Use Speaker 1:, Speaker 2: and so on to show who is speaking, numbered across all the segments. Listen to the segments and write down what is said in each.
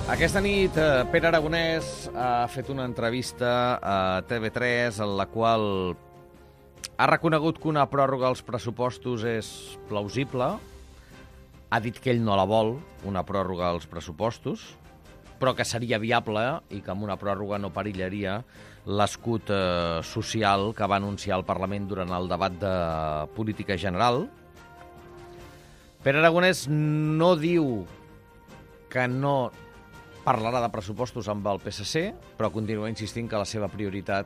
Speaker 1: Aquesta nit Pere Aragonès ha fet una entrevista a TV3 en la qual ha reconegut que una pròrroga als pressupostos és plausible, ha dit que ell no la vol, una pròrroga als pressupostos, però que seria viable i que amb una pròrroga no perillaria l'escut social que va anunciar el Parlament durant el debat de política general. Pere Aragonès no diu que no parlarà de pressupostos amb el PSC, però continua insistint que la seva prioritat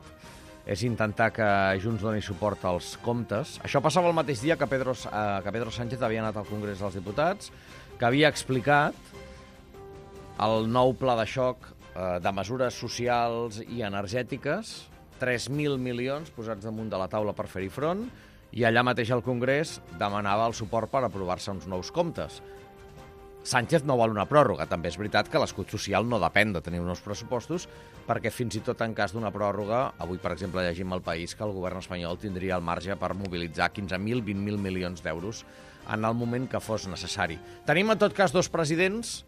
Speaker 1: és intentar que Junts doni suport als comptes. Això passava el mateix dia que Pedro Sánchez havia anat al Congrés dels Diputats, que havia explicat el nou pla de xoc de mesures socials i energètiques, 3.000 milions posats damunt de la taula per fer-hi front, i allà mateix al Congrés demanava el suport per aprovar-se uns nous comptes. Sánchez no vol una pròrroga. També és veritat que l'escut social no depèn de tenir uns pressupostos, perquè fins i tot en cas d'una pròrroga, avui, per exemple, llegim al País que el govern espanyol tindria el marge per mobilitzar 15.000, 20.000 milions d'euros en el moment que fos necessari. Tenim, en tot cas, dos presidents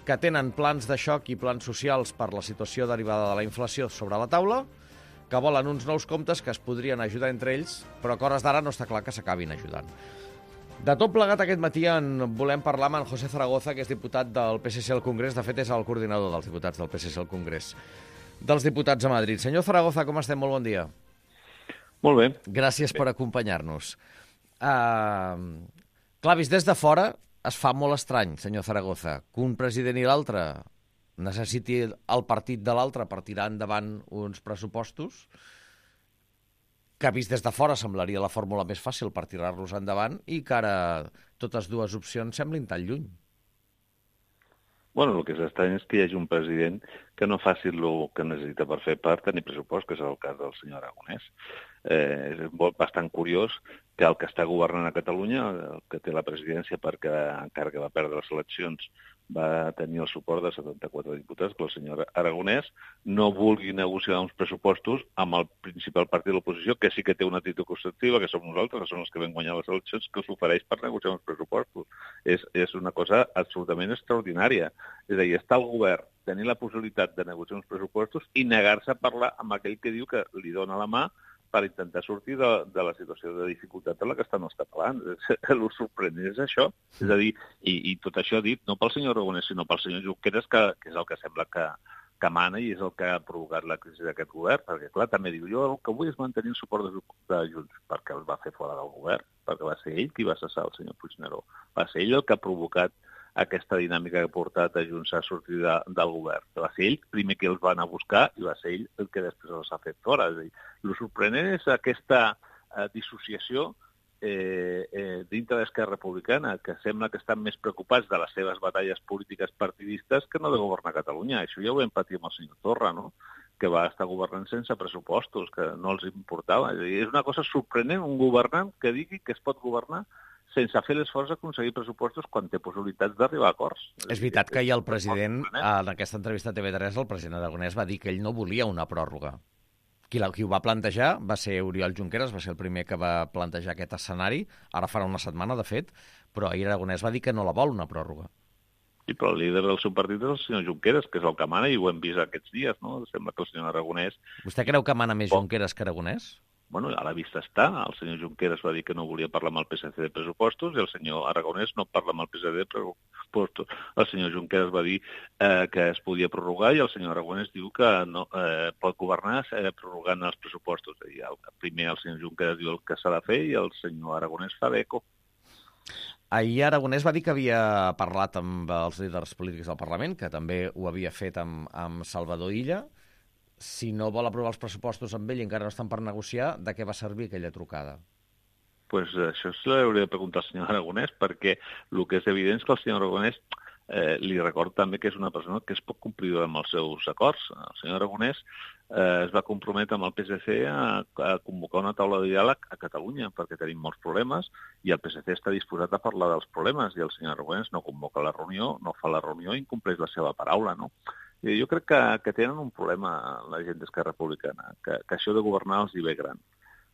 Speaker 1: que tenen plans de xoc i plans socials per la situació derivada de la inflació sobre la taula, que volen uns nous comptes que es podrien ajudar entre ells, però que a hores d'ara no està clar que s'acabin ajudant. De tot plegat, aquest matí en volem parlar amb en José Zaragoza, que és diputat del PSC al Congrés. De fet, és el coordinador dels diputats del PSC al Congrés dels diputats a Madrid. Senyor Zaragoza, com estem? Molt bon dia.
Speaker 2: Molt bé.
Speaker 1: Gràcies per acompanyar-nos. Clar, vist des de fora, es fa molt estrany, senyor Zaragoza, que un president i l'altre necessiti el partit de l'altre per tirar endavant uns pressupostos, que vist des de fora semblaria la fórmula més fàcil per tirar-los endavant i que ara totes dues opcions semblin tan lluny.
Speaker 2: Bueno, el que és estrany és que hi hagi un president que no faci el que necessita per fer part tenir pressupost, que és el cas del senyor Aragonès. És bastant curiós que el que està governant a Catalunya, el que té la presidència perquè encara que va perdre les eleccions va tenir el suport de 74 diputats, que el senyor Aragonès no vulgui negociar uns pressupostos amb el principal partit de l'oposició, que sí que té una actitud constructiva, que som nosaltres, que som els que vam guanyar les eleccions, que s'ofereix per negociar uns pressupostos. És una cosa absolutament extraordinària. És a dir, està el govern tenir la possibilitat de negociar uns pressupostos i negar-se a parlar amb aquell que diu que li dona la mà per intentar sortir de la situació de dificultat en la que estan els catalans. El sorprenent és això. És a dir, i tot això dit no pel senyor Aragonès, sinó pel senyor Junqueras, que és el que sembla que mana i és el que ha provocat la crisi d'aquest govern, perquè, clar, també diu, jo el que vull és mantenir el suport de Junts, perquè el va fer fora del govern, perquè va ser ell qui va cessar el senyor Puigneró. Va ser ell el que ha provocat aquesta dinàmica que ha portat a Junts a sortir del govern. Va ser ell primer que els va anar a buscar i va ser ell el que després els ha fet fora. És a dir, el sorprenent és aquesta dissociació dintre d'Esquerra Republicana, que sembla que estan més preocupats de les seves batalles polítiques partidistes que no de governar Catalunya. Això ja ho vam patir amb el senyor Torra, no?, que va estar governant sense pressupostos, que no els importava. És a dir, és una cosa sorprenent, un governant que digui que es pot governar sense fer l'esforç d'aconseguir pressupostos quan té possibilitats d'arribar a acords.
Speaker 1: És veritat que ahir el president, en aquesta entrevista a TV3, el president Aragonès va dir que ell no volia una pròrroga. Qui ho va plantejar va ser Oriol Junqueras, va ser el primer que va plantejar aquest escenari, ara farà una setmana, de fet, però ahir Aragonès va dir que no la vol, una pròrroga.
Speaker 2: Sí, però el líder del seu partit és el senyor Junqueras, que és el que mana, i ho hem vist aquests dies, no? Sembla que el senyor Aragonès...
Speaker 1: Vostè creu que mana més Junqueras que Aragonès?
Speaker 2: Bueno, a la vista està. El senyor Junqueras va dir que no volia parlar amb el PSC de pressupostos i el senyor Aragonès no parla amb el PSC de pressupostos. El senyor Junqueras va dir que es podia prorrogar i el senyor Aragonès diu que no pot governar prorrogant els pressupostos. I primer el senyor Junqueras diu el que s'ha de fer i el senyor Aragonès fa d'eco.
Speaker 1: Ahir Aragonès va dir que havia parlat amb els líders polítics del Parlament, que també ho havia fet amb Salvador Illa. Si no vol aprovar els pressupostos amb ell i encara no estan per negociar, de què va servir aquella trucada?
Speaker 2: Pues això se l'hauria de preguntar al senyor Aragonès, perquè el que és evident és que el senyor Aragonès li recordo també que és una persona que és poc complidora amb els seus acords. El senyor Aragonès es va comprometre amb el PSC a convocar una taula de diàleg a Catalunya, perquè tenim molts problemes i el PSC està disposat a parlar dels problemes i el senyor Aragonès no convoca la reunió, no fa la reunió i incompleix la seva paraula, no? Jo crec que tenen un problema la gent d'Esquerra Republicana, que això de governar els hi ve gran.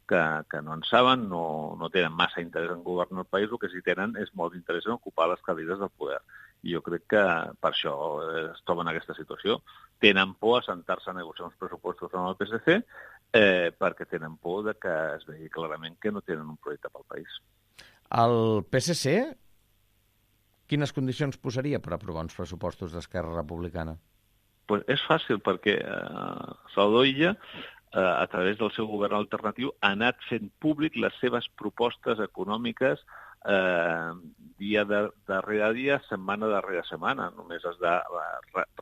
Speaker 2: que no en saben, no tenen massa interès en governar el país, el que sí tenen és molt interès en ocupar les cadires del poder. I jo crec que per això es troben en aquesta situació. Tenen por a sentar-se a negociar uns pressupostos amb el PSC perquè tenen por de que es vegi clarament que no tenen un projecte pel país.
Speaker 1: El PSC, quines condicions posaria per aprovar uns pressupostos d'Esquerra Republicana?
Speaker 2: Pues és fàcil, perquè Salvador Illa, a través del seu govern alternatiu, ha anat fent públic les seves propostes econòmiques dia darrere dia, setmana darrere setmana. Només has de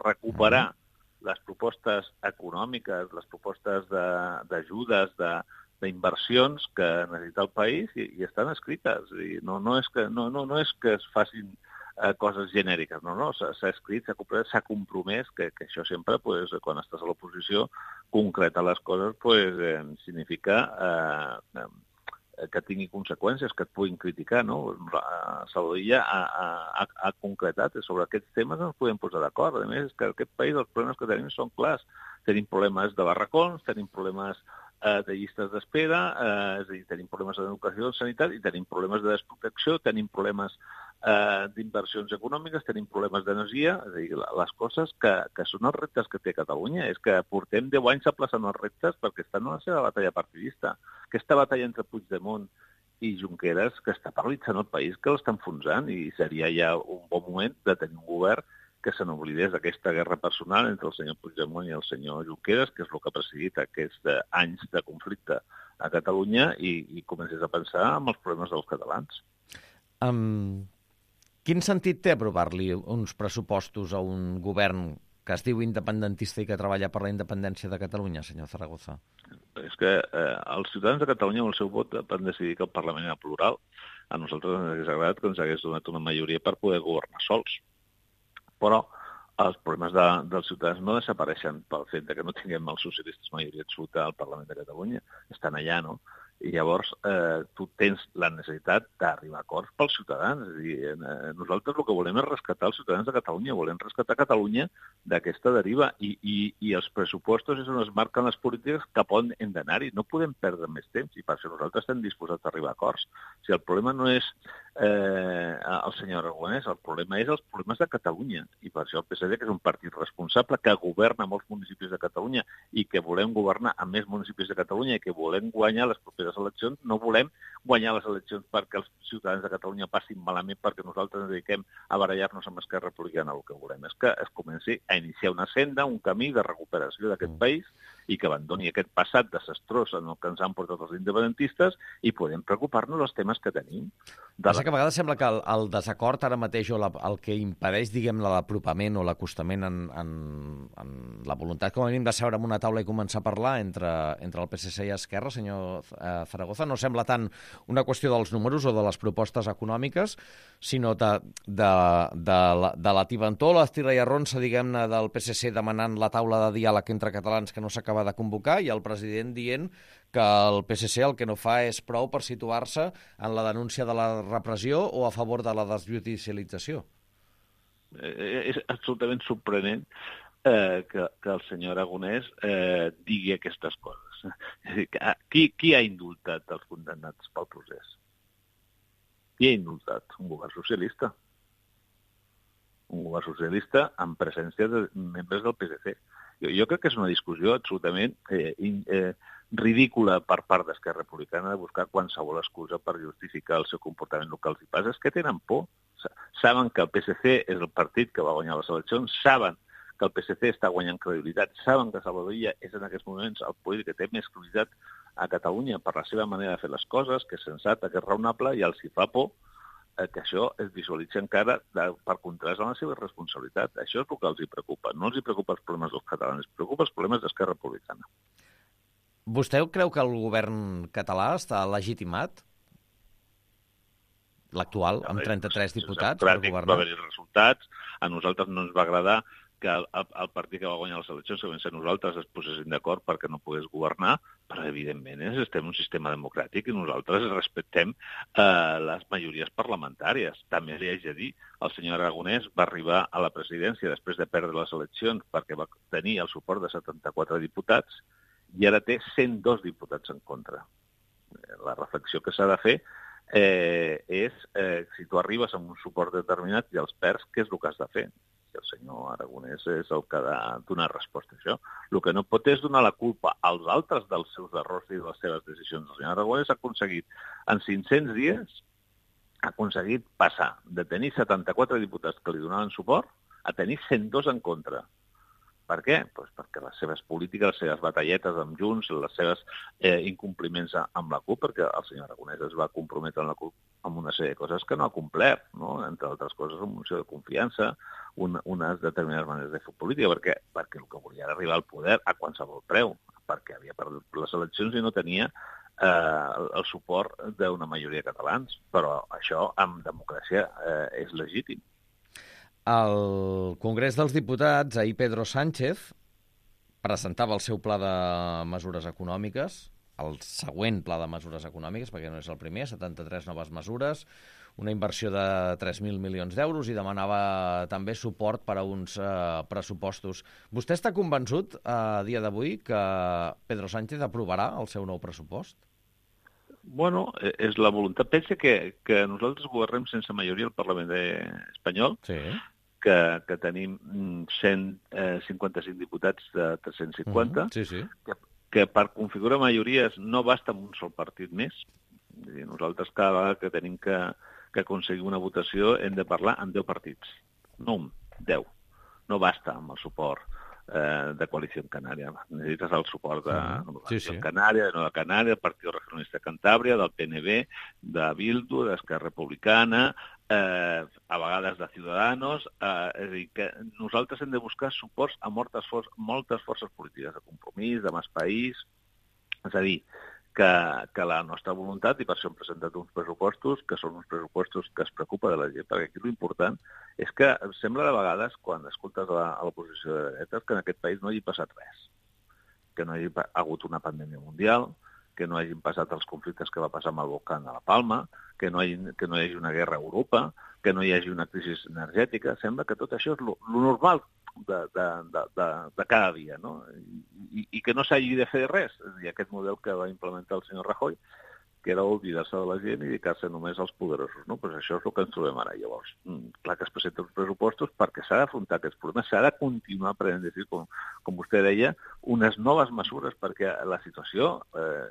Speaker 2: recuperar les propostes econòmiques, les propostes d'ajudes, d'inversions que necessita el país i estan escrites. No és que es facin coses genèriques, no, s'ha escrit, s'ha compromès, que això sempre, quan estàs a l'oposició, concretar les coses significa que tingui conseqüències, que et puguin criticar, no? Salvador Illa ha concretat sobre aquests temes, no ens podem posar d'acord. A més, és que aquest país els problemes que tenim són clars. Tenim problemes de barracons, tenim problemes de llistes d'espera, és a dir, tenim problemes d'educació i sanitat i tenim problemes de desprotecció, tenim problemes d'inversions econòmiques, tenim problemes d'energia, és a dir, les coses que són els reptes que té Catalunya. És que portem 10 anys aplaçant els reptes perquè estan en la seva batalla partidista. Aquesta batalla entre Puigdemont i Junqueras, que està paralitzant el país, que l'està enfonsant, i seria ja un bon moment de tenir un govern que se n'oblidés d'aquesta guerra personal entre el senyor Puigdemont i el senyor Junqueras, que és el que ha presidit aquests anys de conflicte a Catalunya, i comencés a pensar en els problemes dels catalans.
Speaker 1: Quin sentit té aprovar-li uns pressupostos a un govern que es diu independentista i que treballa per la independència de Catalunya, senyor Zaragoza?
Speaker 2: És que els ciutadans de Catalunya amb el seu vot van decidir que el Parlament era plural. A nosaltres ens hagués agradat que ens hagués donat una majoria per poder governar sols. Però els problemes dels ciutadans no desapareixen pel fet que no tinguem els socialistes majoria absoluta al Parlament de Catalunya. Estan allà, no? I llavors tu tens la necessitat d'arribar a acords pels ciutadans. És a dir, nosaltres el que volem és rescatar els ciutadans de Catalunya, volem rescatar Catalunya d'aquesta deriva i els pressupostos és on es marquen les polítiques cap on hem d'anar-hi. No podem perdre més temps i per això nosaltres estem disposats a arribar a acords. Si el problema no és el senyor Aragonès, el problema és els problemes de Catalunya, i per això el PSD, que és un partit responsable, que governa molts municipis de Catalunya i que volem governar a més municipis de Catalunya i que volem guanyar les properes eleccions, no volem guanyar les eleccions perquè els ciutadans de Catalunya passin malament perquè nosaltres ens dediquem a barallar-nos amb Esquerra Republicana. El que volem és que es comenci a iniciar una senda, un camí de recuperació d'aquest país i que abandoni aquest passat desastrós en el que ens han portat els independentistes i podem preocupar-nos dels temes que tenim.
Speaker 1: Passa que a vegades sembla que el desacord ara mateix o el que impedeix, diguem-ne, l'apropament o l'acostament en la voluntat, com a mínim, de seure en una taula i començar a parlar entre el PSC i Esquerra, senyor Zaragoza, no sembla tant una qüestió dels números o de les propostes econòmiques, sinó de la tibantor, l'estira i arronsa, diguem-ne, del PSC demanant la taula de diàleg entre catalans que no s'acaba de convocar i el president dient que el PSC el que no fa és prou per situar-se en la denúncia de la repressió o a favor de la desjudicialització.
Speaker 2: És absolutament sorprenent que el senyor Aragonès digui aquestes coses. És a dir, qui ha indultat els condemnats pel procés? Qui ha indultat? Un govern socialista. Un govern socialista amb presència de membres del PSC. Jo crec que és una discussió absolutament ridícula per part d'Esquerra Republicana de buscar qualsevol excusa per justificar el seu comportament local. El que passa és que tenen por. Saben que el PSC és el partit que va guanyar les eleccions, saben que el PSC està guanyant credibilitat, saben que Salvador Illa és en aquests moments el polític que té més credibilitat a Catalunya per la seva manera de fer les coses, que és sensata, que és raonable, i els hi fa por que això es visualitzi encara per contrast amb la seva responsabilitat. Això és el que els hi preocupa. No els hi preocupa els problemes dels catalans, els preocupa els problemes d'Esquerra Republicana.
Speaker 1: Vostè creu que el govern català està legitimat? L'actual, amb 33 diputats per governar?
Speaker 2: Va haver-hi resultats. A nosaltres no ens va agradar que el partit que va guanyar les eleccions, que vam ser nosaltres, es posessin d'acord perquè no pogués governar, però evidentment estem en un sistema democràtic i nosaltres respectem les majories parlamentàries. També li haig de dir, el senyor Aragonès va arribar a la presidència després de perdre les eleccions perquè va tenir el suport de 74 diputats i ara té 102 diputats en contra. la reflexió que s'ha de fer és si tu arribes amb un suport determinat i els perds, què és el que has de fer? I el senyor Aragonès és el que ha de donar resposta a això. El que no pot és donar la culpa als altres dels seus errors i de les seves decisions. El senyor Aragonès ha aconseguit, en 500 dies, passar de tenir 74 diputats que li donaven suport a tenir 102 en contra. Per què? Pues perquè les seves polítiques, les seves batalletes amb Junts, les seves incompliments amb la CUP, perquè el senyor Aragonès es va comprometre amb la CUP amb una sèrie de coses que no ha complert, no? Entre altres coses, una moció de confiança, unes determinades maneres de fer política, perquè el que volia era arribar al poder a qualsevol preu, perquè havia perdut les eleccions i no tenia el suport d'una majoria de catalans. Però això, en democràcia, és legítim.
Speaker 1: Al Congrés dels Diputats, ahir Pedro Sánchez presentava el seu pla de mesures econòmiques, el següent pla de mesures econòmiques, perquè no és el primer, 73 noves mesures, una inversió de 3.000 milions d'euros i demanava també suport per a uns pressupostos. Vostè està convençut a dia d'avui que Pedro Sánchez aprovarà el seu nou pressupost?
Speaker 2: Bueno, és la voluntat. Pensa que nosaltres governem sense majoria al Parlament espanyol,
Speaker 1: Sí.
Speaker 2: que tenim 155 diputats de 350,
Speaker 1: Sí.
Speaker 2: que per configurar majories no basta amb un sol partit més. És dir, nosaltres cada vegada que tenim que aconseguir una votació hem de parlar amb 10 partits, no un, 10. No basta amb el suport de Coalició Canària. Necessites el suport de Coalició Canària, de Nova Canària, del Partit Regionalista de Cantàbria, del PNB, de Bildu, d'Esquerra Republicana, a vegades de Ciudadanos. És a dir, que nosaltres hem de buscar suports a moltes forces polítiques, de Compromís, de Més País. És a dir, que la nostra voluntat, i per això hem presentat uns pressupostos, que són uns pressupostos que es preocupa de la gent, perquè aquí l'important és que sembla de vegades, quan escoltes a l'oposició de dretes, que en aquest país no hagi passat res, que no hi ha hagut una pandèmia mundial, que no hagin passat els conflictes que va passar amb el volcán a la Palma, que no hi hagi una guerra a Europa, que no hi hagi una crisi energètica. Sembla que tot això és lo normal de cada dia, no? I que no s'hagi de fer res. És a dir, aquest model que va implementar el senyor Rajoy, que era oblidar-se de la gent i dedicar-se només als poderosos, no? Pues això és el que ens trobem ara. Llavors, clar que es presenten uns pressupostos perquè s'ha d'afrontar aquests problemes, s'ha de continuar prenent, com vostè deia, unes noves mesures, perquè la situació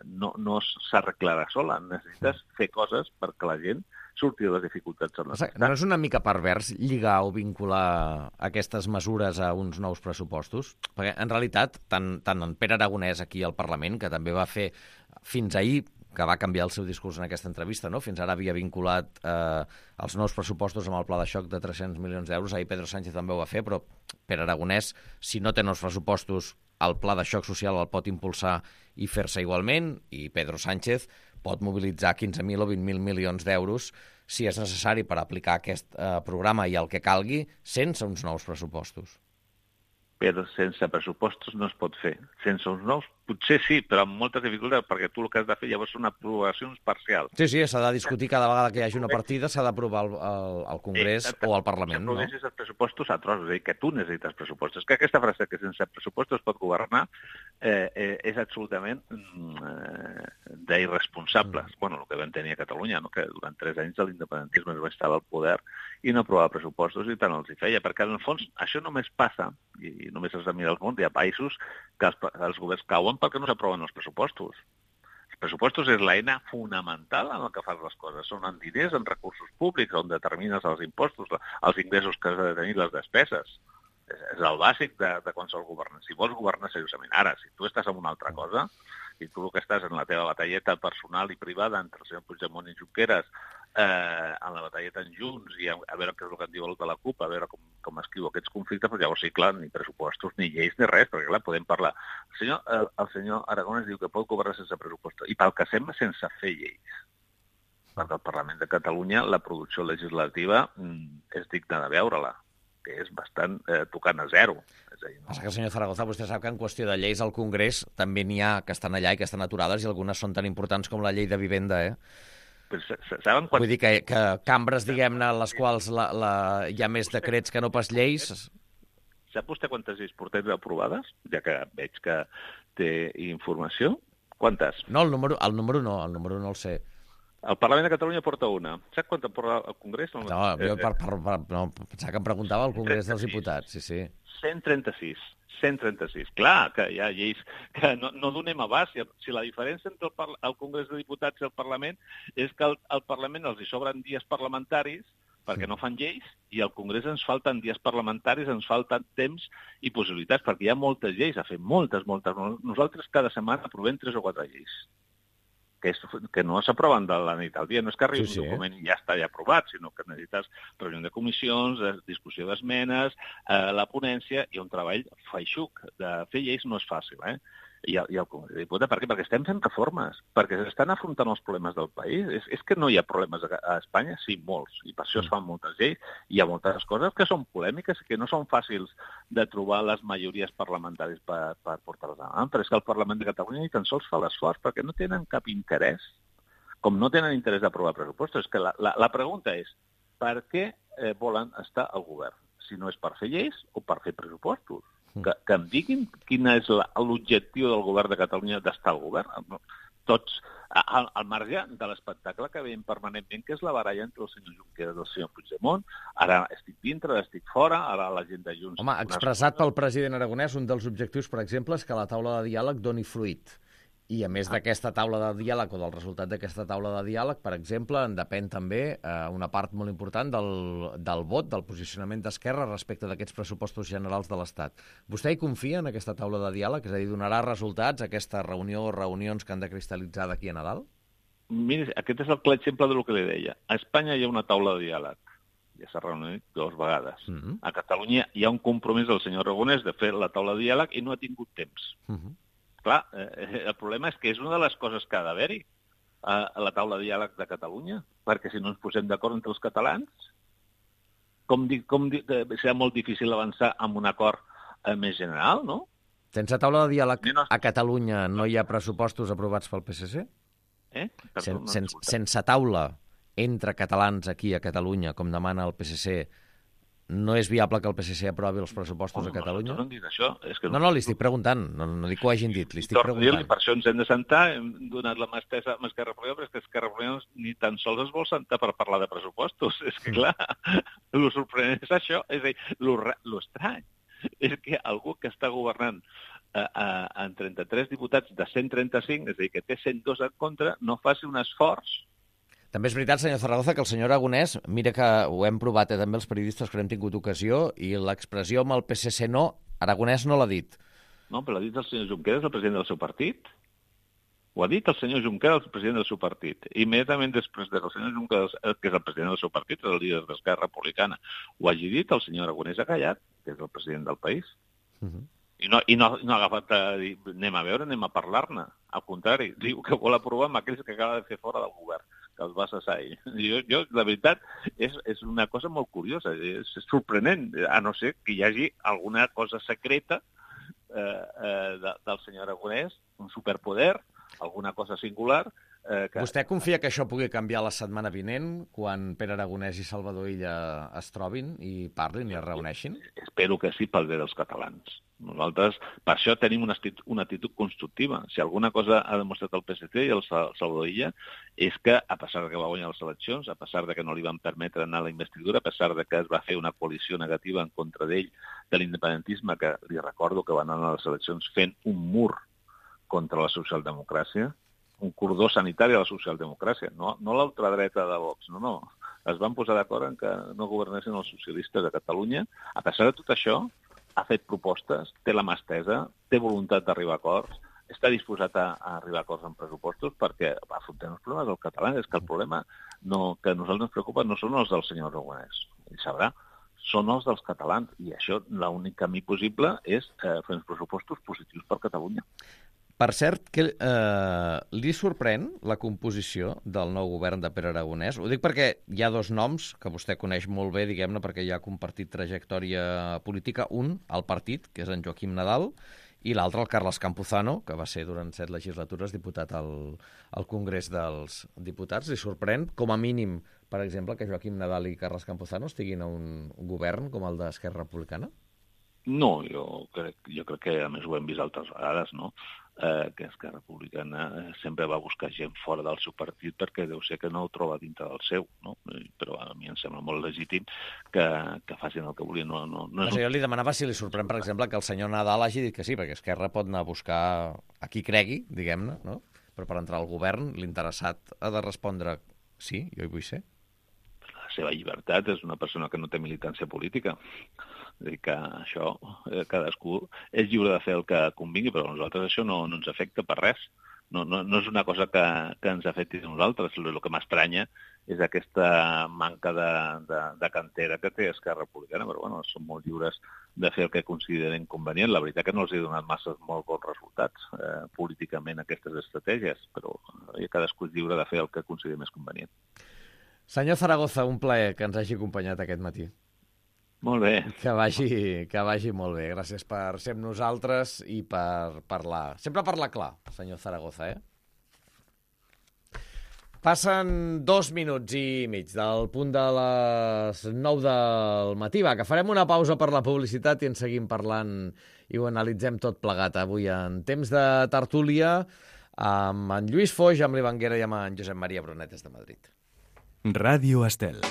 Speaker 2: no s'arreglarà sola. Necessites fer coses perquè la gent surti de les dificultats en les que
Speaker 1: No és una mica pervers lligar o vincular aquestes mesures a uns nous pressupostos? Perquè, en realitat, tant en Pere Aragonès aquí al Parlament, que també va fer fins ahir, que va canviar el seu discurs en aquesta entrevista, no? Fins ara havia vinculat els nous pressupostos amb el pla de xoc de 300 milions d'euros. Ahir Pedro Sánchez també ho va fer, però Pere Aragonès, si no té nous pressupostos, el pla de xoc social el pot impulsar i fer-se igualment, i Pedro Sánchez pot mobilitzar 15.000 o 20.000 milions d'euros si és necessari per aplicar aquest programa i el que calgui sense uns nous pressupostos.
Speaker 2: Però sense pressupostos no es pot fer. Sense uns nous, potser sí, però amb moltes dificultats, perquè tu el que has de fer llavors són aprovacions parcials.
Speaker 1: Sí, s'ha de discutir cada vegada que hi hagi una partida, s'ha d'aprovar al Congrés o al Parlament, no?
Speaker 2: Si els pressupostos a trossos, és a dir, que tu necessites pressupostos. Que aquesta frase que sense pressupostos es pot governar és absolutament d'irresponsables. Bueno, el que vam tenir a Catalunya, no? Que durant 3 anys l'independentisme es va estar al poder i no aprovava pressupostos i tant els hi feia, perquè en el fons això només passa, i només has de mirar el món, hi ha països que els governs cauen perquè no s'aproven els pressupostos. Els pressupostos és l'eina fonamental en el que fas les coses. Són en diners, en recursos públics, on determines els impostos, els ingressos que has de tenir, les despeses. És el bàsic de qualsevol govern. Si vols governar seriosament, ara, si tu estàs en una altra cosa, si tu el que estàs en la teva batalleta personal i privada entre el senyor Puigdemont i Junqueras, en la batalleta en Junts i a veure què és el que en diu el de la CUP, a veure com escriu aquests conflictes, però llavors sí, clar, ni pressupostos, ni lleis, ni res, perquè clar, podem parlar. El senyor Aragonès diu que pot governar sense pressupostos, i pel que sembla sense fer lleis. Perquè al Parlament de Catalunya la producció legislativa és digna de veure-la, que és bastant tocant a zero.
Speaker 1: Passa que, senyor Zaragoza, vostè sap que en qüestió de lleis al Congrés també n'hi ha que estan allà i que estan aturades i algunes són tan importants com la llei de vivenda, Vull dir que cambres, diguem-ne, en les quals hi ha més decrets que no pas lleis.
Speaker 2: Sap vostè quantes lleis portem aprovades? Ja que veig que té informació. Quantes?
Speaker 1: No, el número no el sé.
Speaker 2: El Parlament de Catalunya porta una. Saps quant en porta el Congrés?
Speaker 1: No, jo no, pensava que em preguntava al Congrés dels Diputats, sí.
Speaker 2: 136. 136. Clar, que hi ha lleis que no donem abast. Si la diferència entre el Congrés de Diputats i el Parlament és que al Parlament els hi sobren dies parlamentaris perquè no fan lleis, i al Congrés ens falten dies parlamentaris, ens falten temps i possibilitats, perquè hi ha moltes lleis a fer, moltes. Nosaltres cada setmana aprovem 3 o 4 lleis, que no s'aproven de la nit al dia. No és que arribi un document i ja està ja aprovat, sinó que necessites reunió de comissions, discussió d'esmenes, la ponència i un treball feixuc. De fer lleis no és fàcil, I el Congrés de Diputats, per què? Perquè estem fent reformes, perquè s'estan afrontant els problemes del país. És que no hi ha problemes a Espanya? Sí, molts, i per això es fan moltes lleis. Hi ha moltes coses que són polèmiques i que no són fàcils de trobar les majories parlamentàries per portar-les endavant, però és que el Parlament de Catalunya ni tan sols fa l'esforç, perquè no tenen cap interès, com no tenen interès d'aprovar pressupostos. És que la pregunta és, per què volen estar al govern? Si no és per fer lleis o per fer pressupostos. Que em diguin quin és l'objectiu del govern de Catalunya d'estar al govern. Tots, al marge de l'espectacle que veiem permanentment, que és la baralla entre el senyor Junqueras i el senyor Puigdemont. Ara estic dintre, estic fora, ara la gent de Junts...
Speaker 1: Home, expressat pel president Aragonès, un dels objectius, per exemple, és que la taula de diàleg doni fruit. I a més d'aquesta taula de diàleg o del resultat d'aquesta taula de diàleg, per exemple, en depèn també una part molt important del vot, del posicionament d'Esquerra respecte d'aquests pressupostos generals de l'Estat. Vostè hi confia en aquesta taula de diàleg? És a dir, donarà resultats aquesta reunió o reunions que han de cristal·litzar d'aquí a Nadal?
Speaker 2: Miri, aquest és el clar exemple del que li deia. A Espanya hi ha una taula de diàleg. Ja s'ha reunit 2 vegades. A Catalunya hi ha un compromís del senyor Aragonès de fer la taula de diàleg i no ha tingut temps. Clar, el problema és que és una de les coses que ha d'haver-hi a la taula de diàleg de Catalunya, perquè si no ens posem d'acord entre els catalans, serà molt difícil avançar amb un acord més general, no?
Speaker 1: Sense taula de diàleg a Catalunya no hi ha pressupostos aprovats pel PSC? Sense taula entre catalans aquí a Catalunya, com demana el PSC, no és viable que el PSC aprovi els pressupostos a Catalunya?
Speaker 2: No han dit això.
Speaker 1: No, li estic preguntant. No dic que ho hagin dit, li estic preguntant.
Speaker 2: Per això ens hem de sentar, hem donat la mà estesa amb Esquerra Republicana, però és que Esquerra Republicana ni tan sols es vol sentar per parlar de pressupostos. És que, clar, el sorprenent és això. És a dir, l'estrany és que algú que està governant en 33 diputats de 135, és a dir, que té 102 en contra, no faci un esforç.
Speaker 1: També és veritat, senyor Zaragoza, que el senyor Aragonès, mira que ho hem provat també els periodistes que n'hem tingut ocasió, i l'expressió amb el PSC no, Aragonès no l'ha dit.
Speaker 2: No, però l'ha dit el senyor Junqueras, el president del seu partit. Ho ha dit el senyor Junqueras, el president del seu partit. Immediatament després que el senyor Junqueras, que és el president del seu partit, és el líder d'Esquerra Republicana, ho hagi dit, el senyor Aragonès ha callat, que és el president del país. I no ha agafat a dir, anem a veure, anem a parlar-ne. Al contrari, diu que vol aprovar amb aquells que acaba de fer fora del govern, que els va cessar ell. Jo, la veritat, és una cosa molt curiosa, és sorprenent, a no ser que hi hagi alguna cosa secreta del senyor Aragonès, un superpoder, alguna cosa singular.
Speaker 1: Vostè confia que això pugui canviar la setmana vinent, quan Pere Aragonès i Salvador Illa es trobin i parlin i es reuneixin?
Speaker 2: Espero que sí, pel bé dels catalans. Nosaltres, per això tenim una actitud constructiva. Si alguna cosa ha demostrat el PSC i el Salvador Illa és que, a pesar que va guanyar les eleccions, a pesar que no li van permetre anar a la investidura, a pesar que es va fer una coalició negativa en contra d'ell, de l'independentisme, que li recordo que van anar a les eleccions fent un mur contra la socialdemocràcia, un cordó sanitari a la socialdemocràcia, no l'ultradreta de Vox, no. Es van posar d'acord en que no governessin els socialistes a Catalunya. A pesar de tot això, ha fet propostes, té la mà estesa, té voluntat d'arribar a acords, està disposat a arribar a acords en pressupostos perquè afrontem els problemes del català. És que el problema que a nosaltres ens preocupa no són els del senyor Aragonès, ell sabrà, són els dels catalans, i això l'únic camí possible és fer uns pressupostos positius per Catalunya.
Speaker 1: Per cert, que li sorprèn la composició del nou govern de Pere Aragonès? Ho dic perquè hi ha 2 noms que vostè coneix molt bé, diguem-ne, perquè ja ha compartit trajectòria política. Un, el partit, que és en Joaquim Nadal, i l'altre, el Carles Campuzano, que va ser durant 7 legislatures diputat al Congrés dels Diputats. Li sorprèn, com a mínim, per exemple, que Joaquim Nadal i Carles Campuzano estiguin a un govern com el d'Esquerra Republicana?
Speaker 2: No, jo crec que a més ho hem vist altres vegades, no? que Esquerra Republicana sempre va buscar gent fora del seu partit perquè deu ser que no ho troba dintre del seu, no? Però a mi em sembla molt legítim que facin el que volien. No
Speaker 1: jo li demanava si li sorprèn, per exemple, que el senyor Nadal hagi dit que sí, perquè Esquerra pot anar a buscar a qui cregui, diguem-ne, no? Però per entrar al govern, l'interessat ha de respondre sí, jo hi vull ser.
Speaker 2: La seva llibertat, és una persona que no té militància política. És a dir, que això, cadascú és lliure de fer el que convingui, però a nosaltres això no ens afecta per res. No és una cosa que ens afecti a nosaltres. El que m'estranya és aquesta manca de cantera que té Esquerra Republicana, però bueno, són molt lliures de fer el que consideren convenient. La veritat que no els he donat molt bons resultats políticament aquestes estratègies, però cadascú és lliure de fer el que consideri més convenient.
Speaker 1: Senyor Zaragoza, un plaer que ens hagi acompanyat aquest matí.
Speaker 2: Molt bé.
Speaker 1: Que vagi molt bé. Gràcies per ser amb nosaltres i per parlar. Sempre parlar clar, senyor Zaragoza, Passen 2 minuts i mig del punt de les 9 del matí. Va, que farem una pausa per la publicitat i en seguim parlant i ho analitzem tot plegat avui en temps de tertúlia amb en Lluís Foix, amb l'Ivan Guerra i amb en Josep Maria Brunet des de Madrid.
Speaker 3: Ràdio Estel.